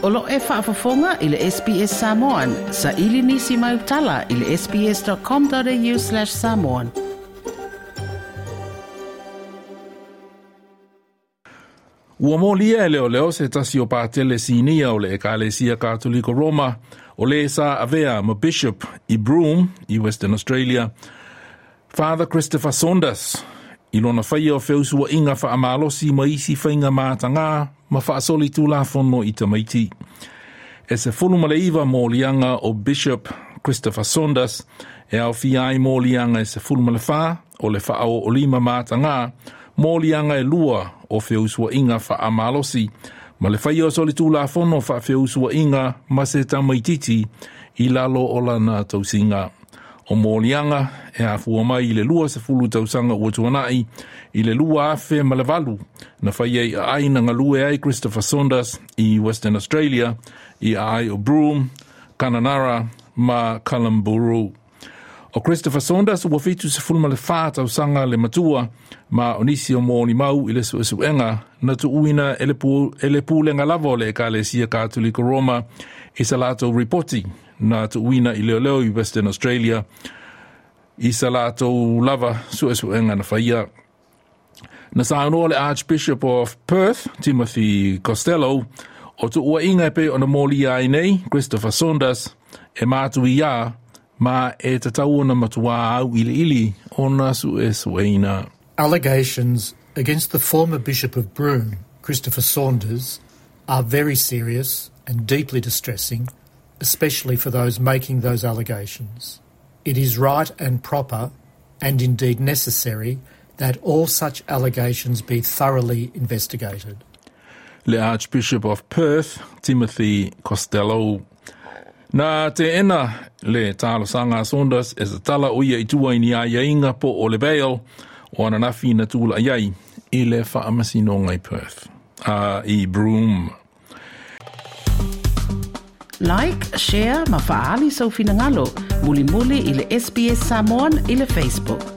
O lo o e faafofoga i le SBS Samoan. Saili nisi mau tala i le sbs.com.au/samoan. Ua molia e leoleo se tasi o patele sinia o le Ekalesia Katoliko Roma o le sa avea ma Bishop i Broome i Western Australia, Father Christopher Saunders, i lona faia o feusuaiga faamalosi ma isi faiga matagā ma faasolitulafono i tamaiti. E 19 moliaga o Bishop Christopher Saunders e aofia ai moliaga e 14 o le faaoolima matagā, moliaga e 2 o feusuaiga faamalosi, ma le faia o solitulafono faafeusuaiga ma se tamaititi i lalo o lana tausiga. O moliaga e afua mai i le 20 tausaga ua tuanai i le 2008 na faia i aai na galue ai Christopher Saunders i Western Australia i aai o Broome, Kununurra ma Kalumburu. O Christopher Saunders ua 74 tausaga le matua ma o nisi o molimau i le suesuega na tuuina e le pulega lava o le Ekalesia Katoliko Roma i sa latou ripoti na tuuina i leoleo i Western Australia i sa latou lava suesuega na faia. Na saunoa le Archbishop of Perth, Timothy Costello, o tuuaiga e pei ona molia ai nei Christopher Saunders e matuia ma e tatau ona matuā auiliili ona suesueina. Allegations against the former Bishop of Broome, Christopher Saunders, are very serious and deeply distressing, especially for those making those allegations. It is right and proper, and indeed necessary, that all such allegations be thoroughly investigated. Le Archbishop of Perth, Timothy Costello. Na teena le talosaga a Saunders e tatala o ia i tua i ni aiaiga po o le bail o ananafi na tula'i ai i le faamasinoga i Perth, i Broome. Like, share ma faaali sou finagalo. Mulimuli i le SBS Samoan i le Facebook.